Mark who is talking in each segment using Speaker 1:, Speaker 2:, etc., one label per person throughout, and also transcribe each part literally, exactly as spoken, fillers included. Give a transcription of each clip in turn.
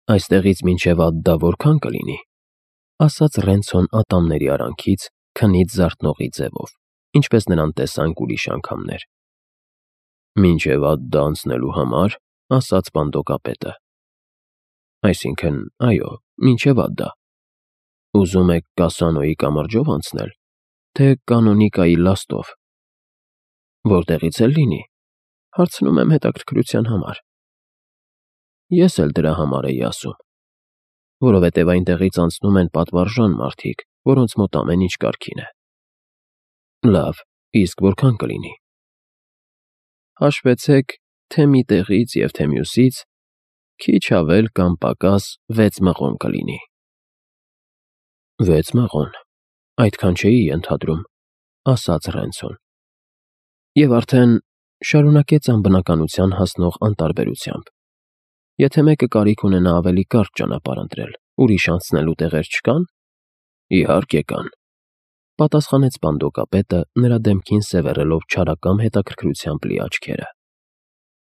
Speaker 1: Այստեղից մինչև Ադդա որքան կլինի, ասաց Ռենցոն ատամների արանքից քնից զարթնողի ձևով, ինչպես նրան տեսանք ուրիշ անգամներ։ Մինչև Ադդա անցնելու համար, ասաց պանդոկապետը։ Այսինքն, այո, մինչև Ադդա։ Ուզում եք Կասանոյի կամրջով անցնել, թե Կանոնիկայի լաստով։ Որտեղից էլ լինի, հարցնում եմ հետաքրքրության համար։ Ես էլ դրա համար էի ասում, որովհետև այնտեղից անցնում են պատվարժան մարդիկ, որոնց մոտ ամեն ինչ կարգին է։ Լավ, իսկ որքան կլինի։ Հաշվեցեք, թե մի տեղից և թե մյուսից քիչ ավել կամ պակաս վեց մղոն կլինի։ Վեց մղոն, այդքան չէի ենթադրում, ասաց Ռենցոն։ Եվ արդեն շարունակեց անբնականության հասնող անտարբերությամբ. Եթե մեկը կարիք ունենա ավելի կարճ ճանապարհ ընտրել, ուրիշ անցնելու տեղեր չկան։ Իհարկե կան, պատասխանեց պանդոկապետը, նրա դեմքին սևեռելով չարակամ հետաքրքրությամբ լի աչքերը։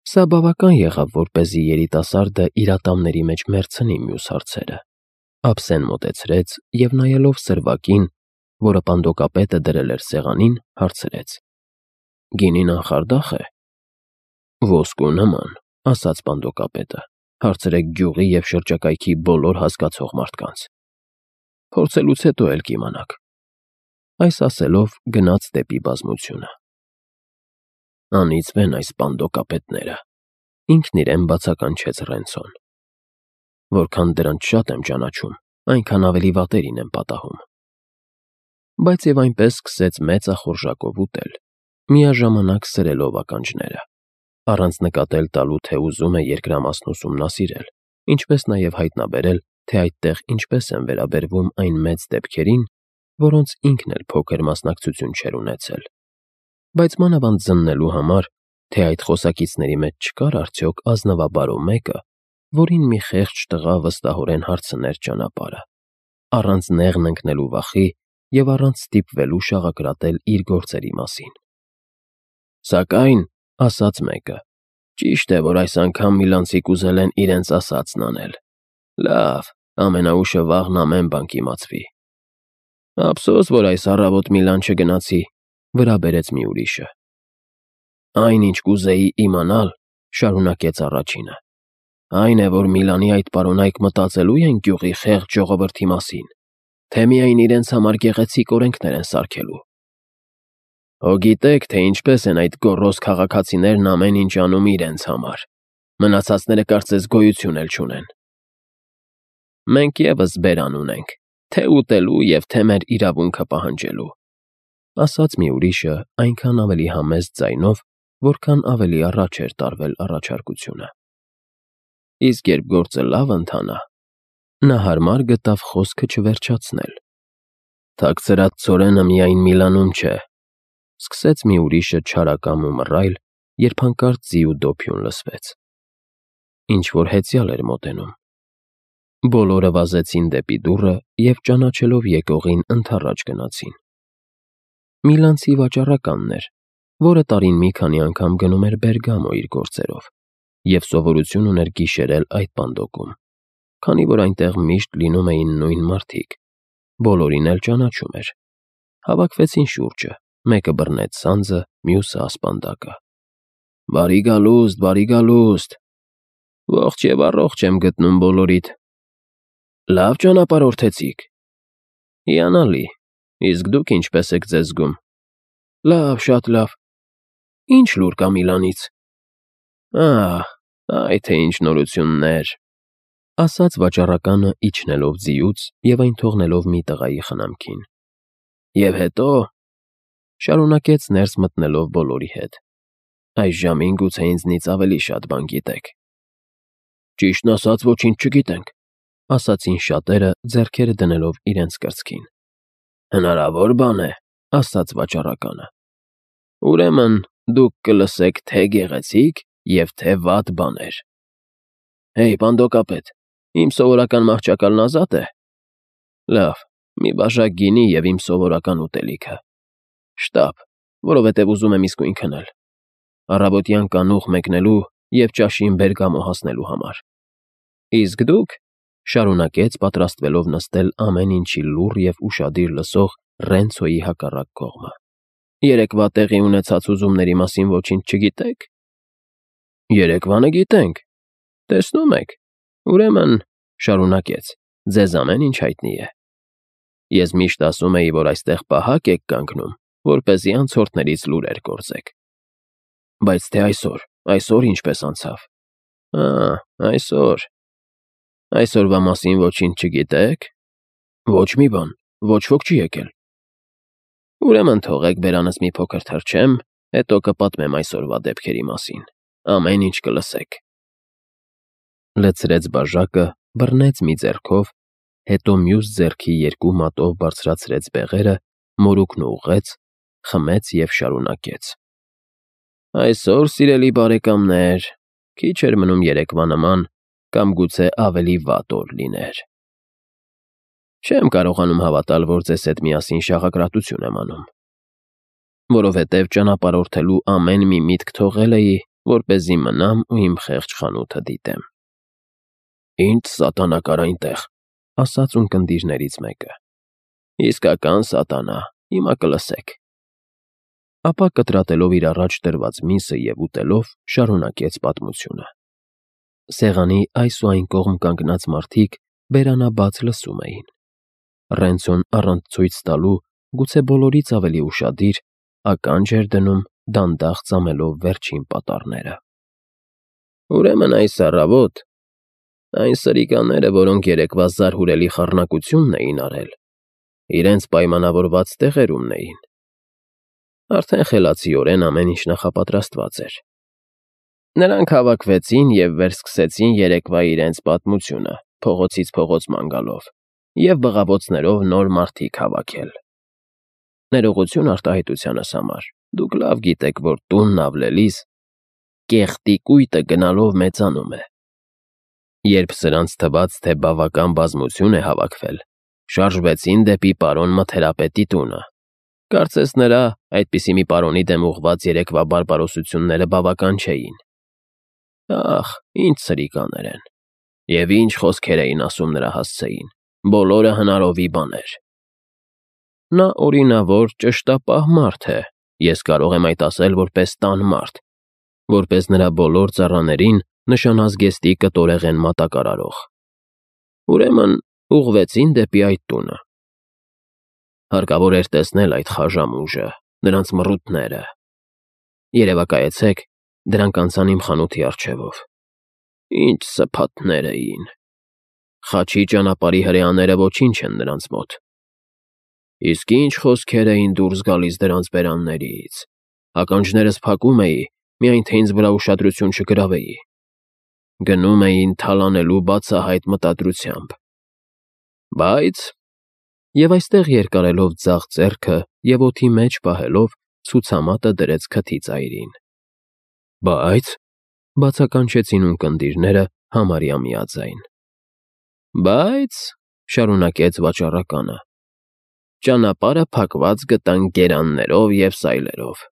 Speaker 1: Սա բավական եղավ, որպեսզի երիտասարդը իր ատամների մեջ մեռցնի մյուս հարցերը։ Ափսեն մոտեցրեց և նայելով սրվակին, որը պանդոկապետը դրել էր սեղանին, հարցրեց. Գինին անխարդա՞խ է։ Ոսկու նման, ասաց պանդոկապետը, հարցրեք գյուղի և շրջակայքի բոլոր հասկացող մարդկանց։ Փորձելուց հետո էլ կիմանաք։ Այս ասելով գնաց դեպի բազմությունը։ Անիծվեն այս պանդոկապետները, ինքն իրեն բացականչեց Ռենցոն։ Որքան դրանց շատ եմ ճանաչում, այնքան ավելի վատերին եմ պատահում։ Բայց և այնպես սկսեց մեծ ախորժակով ուտել, միաժամանակ սրելով ականջները, առանց նկատել տալու, թե ուզում է երկրամասն ուսումնասիրել, ինչպես նաև հայտնաբերել, թե այդտեղ ինչպես են վերաբերվում այն մեծ դեպքերին, որոնց ինքն էլ փոքր մասնակցություն չէր ունեցել, բայց մանավանդ զննելու համար, թե այդ խոսակիցների մեջ չկար արդյոք ազնվաբարո մեկը, որին մի խեղճ տղա վստահորեն հարցներ ճանապարհը, առանց նեղն ընկնելու վախի և առանց ստիպվելու շաղակրատել իր գործերի մասին։ Սակայն, ասաց մեկը, ճիշտ է, որ այս անգամ միլանցի կուզել են իրենց ասածն անել։ Լավ, ամենաուշը վաղն ամեն բան կիմացվի։ Ափսոս, որ այս առավոտ Միլան չգնացի, վրա բերեց մի ուրիշը։ Այն, ինչ կուզեի իմանալ, շարունակեց առաջինը, այն է, որ Միլանի այդ պարոնայք մտածելու են գյուղի խեղճ ժողովրդի մասին, թե միայն իրենց համար գեղեցիկ օրենքներ են սարքելու։ Հո գիտեք, թե ինչպես են այդ գոռոզ քաղաքացիներն ամեն ինչ անում իրենց համար, մնացածները կարծես գոյություն էլ չունեն։ Մենք ևս բերան ունենք, թե ուտելու և թե մեր իրավունքը պահանջելու, ասաց մի ուրիշը այնքան ավելի համեստ ձայնով, որքան ավելի առաջ էր տարվել առաջարկությունը։ Իսկ երբ գործը լավ ընթանա, նա հարմար գտավ խոսքը չվերջացնել։ Թաքցրած ցորենը միայն Միլանում չէ, սկսեց մի ուրիշը չարակամ ու մռայլ, երբ հանկարծ ձի ու դոփյուն լսվեց։ Ինչ-որ հեծյալ էր մոտենում։ Բոլորը վազեցին դեպի դուռը և ճանաչելով եկողին ընդառաջ գնացին։ Միլանցի վաճառականն էր, որը տարին մի քանի անգամ գնում էր Բերգամո իր գործերով և սովորություն ուներ գիշերել այդ պանդոկում, քանի որ այնտեղ միշտ լինում էին նույն մարդիկ, բոլորին էլ ճանաչում էր։ Հավաքվեցին շուրջը, մեկը բռնեց սանձը, մյուսը ասպանդակը։ Բարի գալուստ, բարի գալուստ։ Ողջ և առողջ եմ գտնում բոլորիդ։ Լավ ճանապարհորդեցիք։ Հիանալի, իսկ դուք ինչպես եք ձեզ զգում։ Լավ, շատ լավ։ Ինչ լուր կա Միլանից։ Ահ, այ թե ինչ նորություններ, ասաց վաճառականը իջնելով ձիուց և այն թողնելով մի տղայի խնամքին։ Եվ հետո, շարունակեց ներս մտնելով բոլորի հետ, այս ժամին գուցե ինձնից ավելի շատ բան գիտեք։ Ճիշտն ասած, ոչինչ չգիտենք, ասացին շատերը, ձեռքերը դնելով իրենց կրծքին։ Հնարավոր բան է, ասաց վաճառականը։ Ուրեմն դուք կլսեք թե գեղեցիկ և թե վատ բաներ։ Հեյ, պանդոկապետ, իմ սովորական մահճակալն ազատ է։ Լավ, մի բաժակ գինի և իմ սովորական ուտելիքը։ Շտապ, որովհետև ուզում եմ իսկույն քնել։ Առավոտյան կանուխ մեկնելու և ճաշին Բերգամո հասնելու համար։ Իսկ դուք, շարունակեց պատրաստվելով նստել ամեն ինչի լուռ և ուշադիր լսող Ռենցոյի հակառակ կողմը, երեկվա տեղի ունեցած ուզումների մասին ոչինչ չգիտե՞ք։ Երեկվանը գիտենք, տեսնում եք, ուրեմն, շարունակեց, ձեզ ամեն ինչ հայտնի է։ Ես միշտ ասում էի, որ այստեղ պահակ եք կանգնում, որպեսզի անցորդներից լուրեր գործեք։ Բայց թե այսօր, այսօր ինչպես անցավ։ Ա, այսօր։ Այսօրվա մասին ոչինչ չգիտեք։ Ոչ մի բան, ոչ ոք չի եկել։ Ուրեմն թողեք բերանս մի փոքր թռչեմ, հետո կպատմեմ այսօրվա դեպքերի մասին։ Ամեն ինչ կլսեք։ Լցրեց բաժակը, բռնեց մի ձեռքով, հետո մյուս ձեռքի երկու մատով բարձրացրեց բեղերը, մորուքն ուղղեց, խմեց և շարունակեց. Այսօր, սիրելի բարեկամներ, քիչ էր մնում երեկվա նման, կամ գուցե ավելի վատ օր լիներ։ Չեմ կարողանում հավատալ, որ ձեզ հետ միասին շաղակրատություն եմ անում, որովհետև ճանապարհորդելու ամեն մի միտք թողել էի, որպեսզի մնամ ու իմ խեղճ խանութը դիտեմ։ Ինչ սատանա կար այնտեղ, ասաց ունկնդիրներից մեկը։ Իսկական սատանա, հիմա կլսեք։ Ապա կտրատելով իր առաջ դրված միսը և ուտելով, շարունակեց պատմությունը։ Սեղանի այս ու այն կողմ կանգնած մարդիկ բերանաբաց լսում էին։ Ռենցոն առանց ցույց տալու, գուցե բոլորից ավելի ուշադիր, ականջ էր դնում, դանդաղ ծամելով վերջին պատառները։ Ուրեմն այս առավոտ այն սրիկաները, որոնք երեկվա զարհուրելի խառնակությունն էին արել, իրենց պայմանավորված տեղերումն էին։ Արդեն խելացիորեն ամեն ինչ նախապատրաստված էր։ Նրանք հավաքվեցին և վերսկսեցին երեկվա իրենց պատմությունը, փողոցից փողոց ման գալով, և բղավոցներով նոր մարդիկ հավաքել։ Ներողություն արտահայտությանս համար, դուք լավ գիտեք, որ տունն ավլելիս կեղտի կույտը գնալով մեծանում է։ Երբ սրանց թվաց, թե բավական բազմություն է հավաքվել, շարժվեցին դեպի պարոն Մթերապետի տունը։ Կարծես նրա, այդպիսի մի պարոնի դեմ ուղղված երեկվա բարբարոսությունները բավական չէին։ Ախ, ինչ սրիկաներ են, և ինչ խոսքեր էին ասում նրա հասցեին, բոլորը հնարովի բաներ։ Նա օրինավոր, ճշտապահ մարդ է, ես կարող եմ այդ ասել որպես տան մարդ, որպես նրա բոլոր ծառաներին նշանազգեստի կտորեղեն մատակարարող։ Ուրեմն ուղղվեցին դեպի այդ տունը։ Հարկավոր էր տեսնել այդ խաժամուժը, նրանց մռութները։ Երևակայեցեք, դրանք անցան իմ խանութի առջևով։ Ինչ սփաթներ էին։ Խաչի ճանապարհի հրեաները ոչինչ են նրանց մոտ։ Իսկ ինչ խոսքեր էին դուրս գալիս դրանց բերաններից։ Ականջներս փակում էի, միայն թե ինձ վրա ուշադրություն չգրավեի։ Գնում էին թալանելու բացահայտ մտադրությամբ։ Բայց… Եվ այստեղ երկարելով ձախ ձեռքը և օդի մեջ պահելով, ցուցամատը դրեց քթի ծայրին։ Բայց… բացականչեցին ունկնդիրները համարյա միաձայն։ Բայց… շարունակեց վաճառականը, ճանապարհը փակված գտանք գերաններով և սայլերով։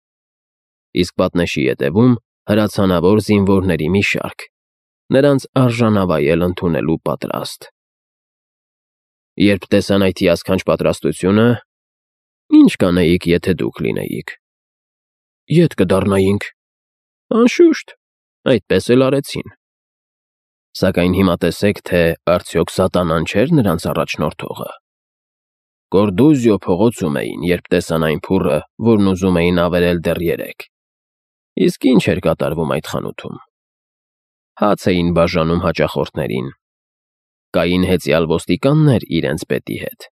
Speaker 1: Իսկ պատնեշի ետևում հրացանավոր զինվորների մի շարք, նրանց արժանավայել ընդունելու պատրաստ։ Երբ տեսան այդ հիասքանչ պատրաստությունը, ի՞նչ կանեիք, եթե դուք լինեիք։ Ետ կդառնայինք։ Անշուշտ, այդպես էլ արեցին։ Սակայն հիմա տեսեք, թե արդյոք սատանան չէր նրանց առաջնորդողը։ Կորդուզիո փողոցում էին, երբ տեսան այն փուռը, որն ուզում էին ավերել դեռ երեկ։ Իսկ ինչ էր կատարվում այդ խանութում։ Հաց էին բաժանում հաճախորդներին։ Կային հեծյալ ոստիկաններ իրենց պետի հետ,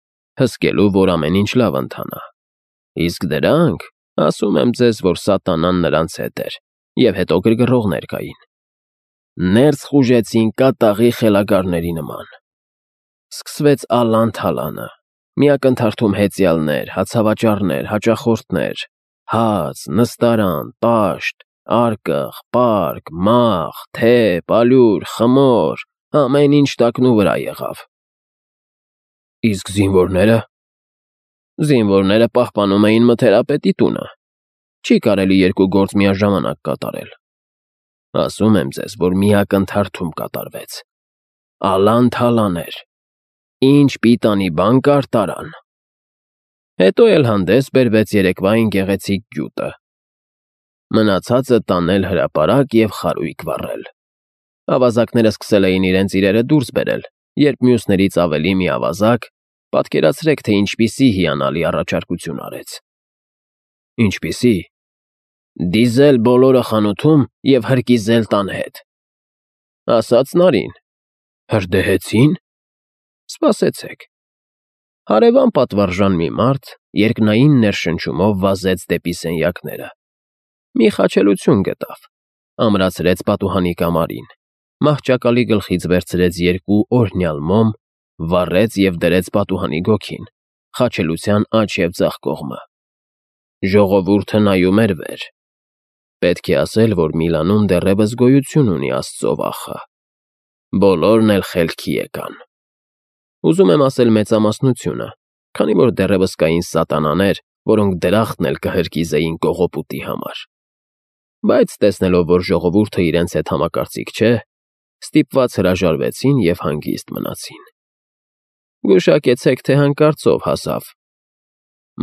Speaker 1: հսկելու, որ ամեն ինչ լավ ընթանա։ Իսկ դրանք, ասում եմ ձեզ, որ սատանան նրանց հետ էր, և հետո գրգռողներ կային։ Ներս խուժեցին կատաղի խելագարների նման։ Սկսվեց ալան֊թալանը, միակնթարթում հեծյալներ, հացավաճառներ, հաճախորդներ, հաց, նստարան, տաշտ, արկղ, պարկ, մաղ, թե, ալյուր, խմոր, ամեն ինչ տակնուվրա եղավ։ Իսկ զինվորնե՞րը։ Զինվորները պահպանում էին Մթերապետի տունը։ Չի կարելի երկու գործ միաժամանակ կատարել։ Ասում եմ ձեզ, որ միակնթարթում կատարվեց։ ալան-թալան էր, ինչ պիտանի բան կար տարան։ Հետո էլ հանդես բերվեց երեկվային գեղեցիկ գյուտը։ Մնացածը տանել հրապարակ և խարույկ վառել։ Ավազակները սկսել էին իրենց իրերը դուրս բերել, երբ մյուսներից ավելի մի ավազակ, պատկերացրեք, թե ինչպիսի հիանալի առաջարկություն արեց։ Ինչպիսի։ Դիզել բոլորը խանութում և հրկիզել տան հետ։ Ասաց Նարին։ Հրդեհեցի՞ն։ Սպասեցեք։ Հարևան պատվարժան մի մարդ երկնային ներշնչումով վազեց դեպի սենյակները։ Մի խաչելություն գտավ, ամրացրեց պատուհանի կամարին, մահճակալի գլխից վերցրեց երկու օրհնյալ մոմ, վառեց և դրեց պատուհանի գոգին, խաչելության աջ և ձախ կողմը։ Ժողովուրդը նայում էր վեր։ Պետք է ասել, որ Միլանում դեռևս գոյություն ունի Աստծո վախը։ Բոլորն էլ խելքի եկան։ Ուզում եմ ասել մեծամասնությունը, քանի որ դեռևս կային սատանաներ, որոնք դրախտն էլ կհրկիզեին կողոպուտի համար։ Բայց տեսնելով, որ ժողովուրդը իրենց հետ համակարծիք չէ, ստիպված հրաժարվեցին և հանգիստ մնացին։ Գուշակեցեք, թե հանկարծով հասավ։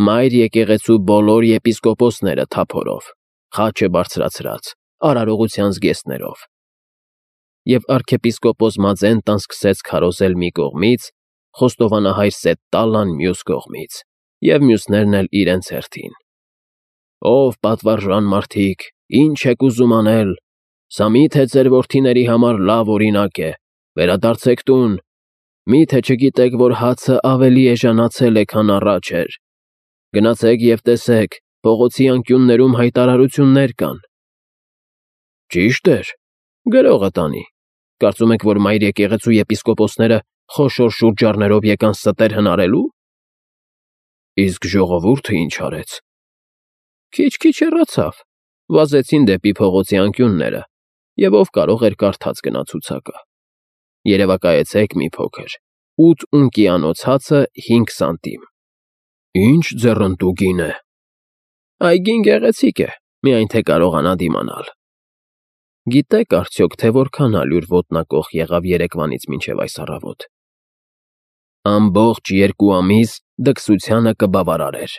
Speaker 1: Մայր եկեղեցու բոլոր եպիսկոպոսները թափորով, խաչը բարձրացրած, արարողության զգեստներով։ Եվ արքեպիսկոպոս Մաձենտան սկսեց քարոզել մի կողմից, խոստովանահայր Սետտալան մյուս կողմից, և մյուսներն էլ իրենց հերթին։ Ով պատվարժան մարդիկ, ինչ եք ուզում անել, սա մի՞թե ձեր որդիների համար լավ օրինակ է, վերադարձեք տուն, մի՞թե չգիտեք, որ հացը ավելի էժանացել է, քան առաջ էր։ Գնացեք և տեսեք, փողոցի անկյուններում հայտարարություններ կան։ Ճիշտ էր, գրողը տանի։ Կարծում եք, որ մայր եկեղեցու եպիսկոպոսները խոշոր շուրջառներով եկան ստեր հնարելու։ Իսկ ժողովուրդը ինչ արեց։ Քիչ-քիչ հեռացավ, վազեցին դեպի փողոցի անկյունները, և ով կարող էր կարդաց գնա ցուցակը։ Երևակայեցեք մի փոքր, ութ ունկիանոց հացը հինգ սանտիմ։ Ինչ ձեռնտու գին է։ Այգին գեղեցիկ է, միայն թե կարողանա դիմանալ։ Գիտեք արդյոք, թե որքան ալյուր ոտնակող եղավ երեկվանից մինչև այս առավոտ։ Ամբողջ երկու ամիս դքսությանը կբավարարեր։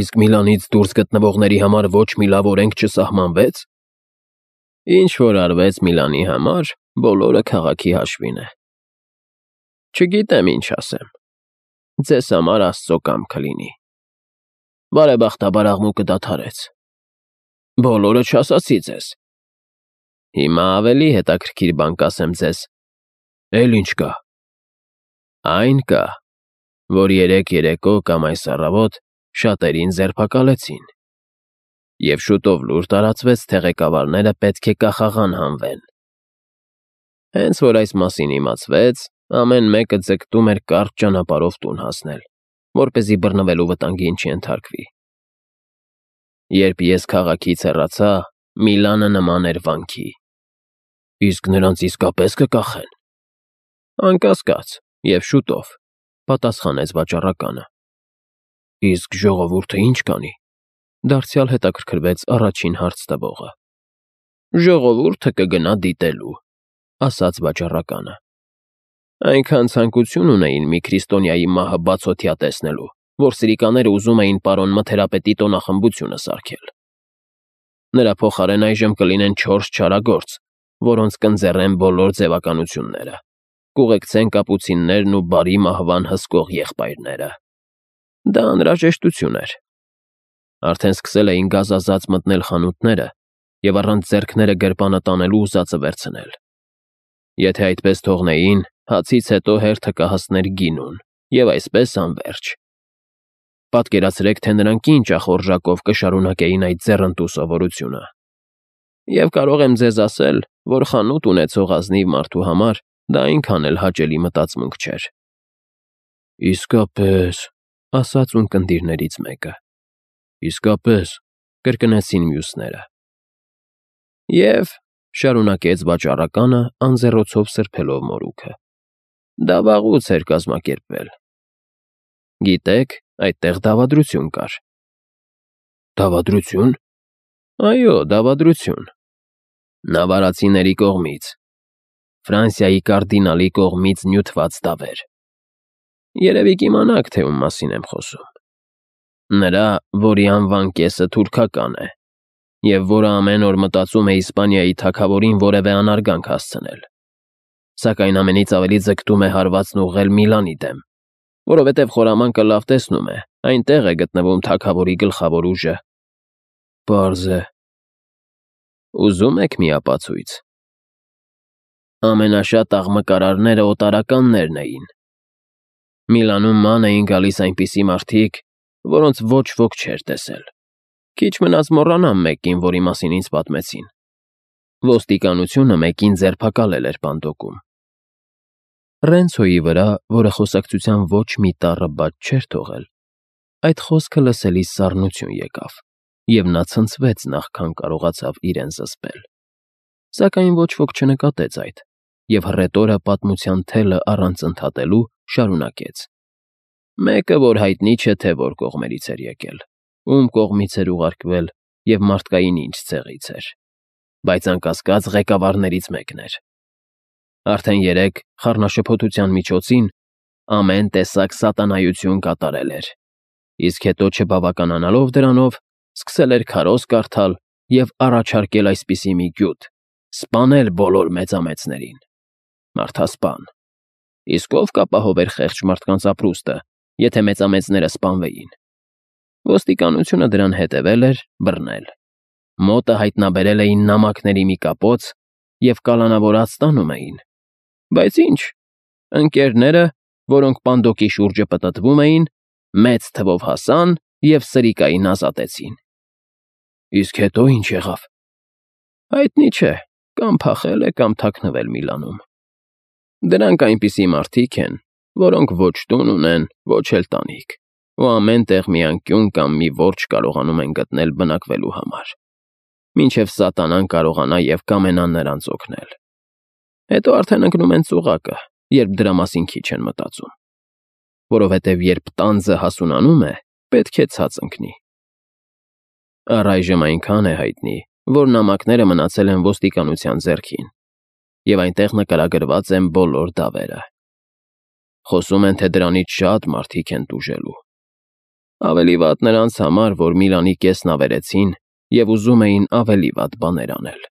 Speaker 1: Իսկ Միլանից դուրս գտնվողների համար ոչ մի լավ օրենք չսահմանվեց։ Ինչ որ արվեց Միլանի համար, բոլորը քաղաքի հաշվին է։ Չգիտեմ ինչ ասեմ։ Ձեզ համար Աստծո կամքը լինի։ Բարեբախտաբար աղմուկը դադարեց։ Բոլորը չասացի ձեզ։ Հիմա ավելի հետաքրքիր բան կասեմ ձեզ։ Էլ ինչ կա։ Այն կա, որ երեկ երեկո կամ այս առավոտ շատերին ձերբակալեցին։ Եվ շուտով լուր տարածվեց, թե ղեկավարները պետք է կախաղան հանվեն։ Հենց որ այս մասին իմացվեց, ամեն մեկը ձգտում էր կարճ ճանապարհով տուն հասնել, որպեսզի բռնվելու վտանգին չենթարկվի։ Երբ ես քաղաքից հեռացա, Միլանը նման էր վանքի։ Իսկ նրանց իսկապես կկախեն։ Անկասկած, և շուտով, պատասխանեց վաճառականը։ Իսկ ժողովուրդը ինչ կանի։ Դարձյալ հետաքրքրվեց առաջին հարց տվողը։ Ժողովուրդը կգնա դիտելու, ասաց վաճառականը։ Այնքան ցանկություն ունեին մի քրիստոնյայի մահը բացօթյա տեսնելու, որ սրիկաները ուզում էին պարոն Մթերապետի տոնախմբությունը սարքել։ Նրա փոխարեն այժմ կլինեն չորս չարագործ, որոնց կընձեռեն բոլոր ձևականությունները, կուղեկցեն կապուցիններն ու բարի մահվան հսկող եղբայրները։ Դա անհրաժեշտություն էր։ Արդեն սկսել էին գազազած մտնել խանութները և առանց ձեռքները գրպանը տանելու ուզածը վերցնել։ Եթե այդպես թողնեին, հացից հետո հերթը կհասներ գինուն, և այսպես անվերջ։ Պատկերացրեք, թե նրանք ինչ ախորժակով կշարունակեին այդ ձեռնտու սովորությունը։ Եվ կարող եմ ձեզ ասել, որ խանութ ունեցող ազնիվ մարդու համար դա այնքան էլ հաճելի մտածմունք չէր։ Իսկապես, ասաց ունկնդիրներից մեկը։ Իսկապես, կրկնեցին մյուսները։ Եվ, շարունակեց վաճառականը, անձեռոցով սրբելով մորուքը, դա վաղուց էր կազմակերպվել։ Գիտեք, այդտեղ դավադրություն կար։ Դավադրություն։ Այո, դավադրություն։ Նավարացիների կողմից։ Ֆրանսիայի կարդինալի կողմից նյութված դավեր։ Երևի կիմանաք, թե ում մասին եմ խոսում։ Նրա, որի անվան կեսը թուրքական է, և որը ամեն օր մտածում է Իսպանիայի թագավորին որևէ անարգանք հասցնել, սակայն ամենից ավելի ձգտում է հարվածն ուղղել Միլանի դեմ, որովհետև խորամանկը լավ տեսնում է, այնտեղ է գտնվում թագավորի գլխավոր ուժը։ Պարզ է։ Ուզում եք մի ապացույց։ Ամենաշատ աղմկարարները օտարականներն էին։ Միլանում ման էին գալիս այնպիսի մարդիկ, որոնց ոչ ոք չէր տեսել։ Քիչ մնաց մոռանամ մեկին, որի մասին ինձ պատմեցին։ Ոստիկանությունը մեկին ձերբակալել էր Պանդոկում։ Ռենցոյի վրա, որը խոսակցության ոչ մի տառը բաց չէր թողել, այդ խոսքը լսելիս սառնություն եկավ, և նա ցնցվեց նախքան կարողացավ իրեն զսպել։ Սակայն ոչ ոք չնկատեց այդ, և հռետորը պատմության թելը առանց ընդհատելու շարունակեց. Մեկը, որ հայտնի չէ, թե որ կողմերից էր եկել, ում կողմից էր ուղարկվել և մարդկային ինչ ցեղից էր, բայց անկասկած ղեկավարներից մեկն էր։ Արդեն երեկ խառնաշփոթության միջոցին ամեն տեսակ սատանայություն կատարել էր, իսկ հետո չբավականանալով դրանով, սկսել էր քարոզ կարդալ և առաջարկել այսպիսի մի գյուտ. սպանել բոլոր մեծամեծներին։ Մարդասպան։ Իսկ ով կապահովեր խեղճ մարդկանց ապրուստը, եթե մեծամեծները սպանվեին։ Ոստիկանությունը դրան հետևել էր, բռնել։ Մոտը հայտնաբերել էին նամակների մի կապոց և կալանավորած տանում էին։ Բայց ինչ, ընկերները, որոնք Պանդոկի շուրջը պտտվում էին, մեծ թվով հասան և սրիկային ազատեցին։ Իսկ հետո ինչ եղավ։ Հայտնի չէ, կամ փախել է, կամ թաքնվել Միլանում։ Դրանք այնպիսի մարդիկ են, որոնք ոչ տուն ունեն, ոչ էլ տանիք, ու ամեն տեղ մի անկյուն կամ մի որջը կարողանում են գտնել բնակվելու համար, մինչև սատանան կարողանա և կամենա նրանց օգնել։ Հետո արդեն ընկնում են ծուղակը, երբ դրա մասին քիչ են մտածում, որովհետև երբ տանձը հասունանում է, պետք է ցած ընկնի։ Առայժմ այնքան է հայտնի, որ նամակները մնացել են ոստիկանության ձեռքին, և այնտեղ նկարագրված են բոլոր դավերը։ Խոսում են, թե դրանից շատ մարդիկ են տուժելու։ Ավելի վատ նրանց համար, որ Միլանի կեսն ավերեցին և ուզում էին ավելի վատ բաներ անել։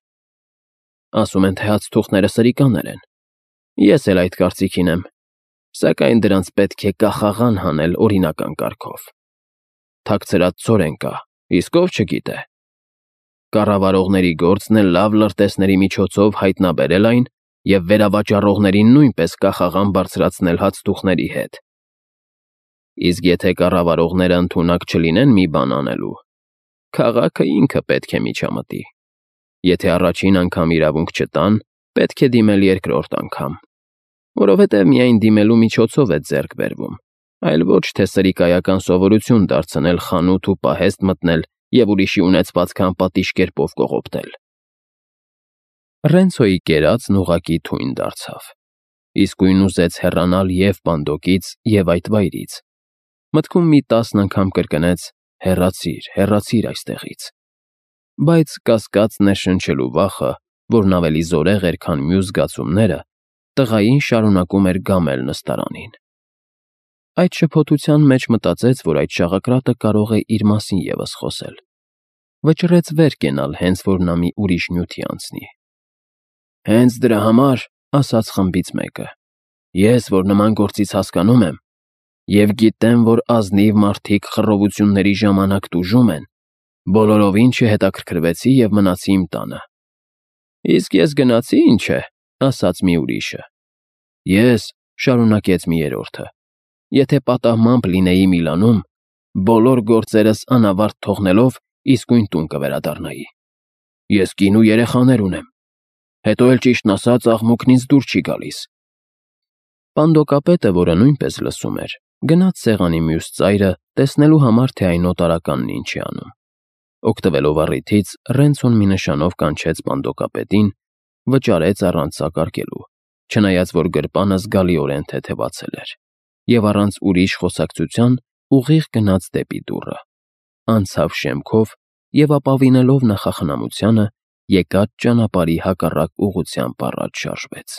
Speaker 1: Ասում են, թե հացթուղթները սրիկաներ են։ Ես էլ այդ կարծիքին եմ, սակայն դրանց պետք է կախաղան հանել օրինական կարգով։ Թաքցրած ցորեն կա, իսկ ով չգիտե։ Կառավարողների գործն է լավ լրտեսների միջոցով հայտնաբերել այն և վերավաճառողներին նույնպես կախաղան բարձրացնել հացթուղթների հետ։ Իսկ եթե կառավարողները ընդունակ չլինեն մի բան անելու, քաղաքը ինքը պետք է միջամտի։ Եթե առաջին անգամ իրավունք չտան, պետք է դիմել երկրորդ անգամ, որովհետև միայն դիմելու միջոցով է ձեռք բերվում, այլ ոչ թե սրիկայական սովորություն դարձնել խանութ ու պահեստ մտնել և ուրիշի ունեցվածքը անպատիժ կերպով կողոպտել։ Ռենցոյի կերածն ուղղակի թույն դարձավ, իսկույն ուզեց հեռանալ և Պանդոկից, և այդ վայրից։ Մտքում մի տասն անգամ կրկնեց. «Հեռացի՛ր, հեռացի՛ր այստեղից»։ Բայց կասկած ներշնչելու վախը, որն ավելի զորեղ էր, քան մյուս զգացումները, տղային շարունակում էր գամել նստարանին։ Այդ շփոթության մեջ մտածեց, որ այդ շաղակրատը կարող է իր մասին ևս խոսել։ Վճռեց վեր կենալ, հենց որ նա մի ուրիշ նյութի անցնի։ «Հենց դրա համար, — ասաց խմբից մեկը, — ես, որ նման գործից հասկանում եմ, և գիտեմ, որ ազնիվ մարդիկ խռովությունների ժամանակ տուժում են, բոլորովին չհետաքրքրվեցի և մնացի իմ տանը»։ «Իսկ ես գնացի, ինչ է,— ասաց մի ուրիշը։ Ես, — շարունակեց մի երրորդը, — եթե պատահմամբ լինեի Միլանում, բոլոր գործերս անավարտ թողնելով իսկույն տուն կվերադառնայի։ Ես կին ու երեխաներ ունեմ, հետո էլ ճիշտն ասած աղմուկն ինձ դուր չի գալիս։ Պանդոկապետը, որը նույնպես լսում էր, գնաց սեղանի մյուս ծայրը, տեսնելու համար, թե այն օտարականն ինչ է անում։ Օգտվելով առիթից, Ռենցոն մի նշանով կանչեց պանդոկապետին, վճարեց առանց սակարկելու, չնայած որ գրպանը զգալիորեն թեթևացել էր, և առանց ուրիշ խոսակցության ուղիղ գնաց դեպի դուռը, անցավ շեմքով և ապավինելով նախախնամությանը, եկած ճանապարհի հակառակ ուղղությամբ առաջ շարժվեց։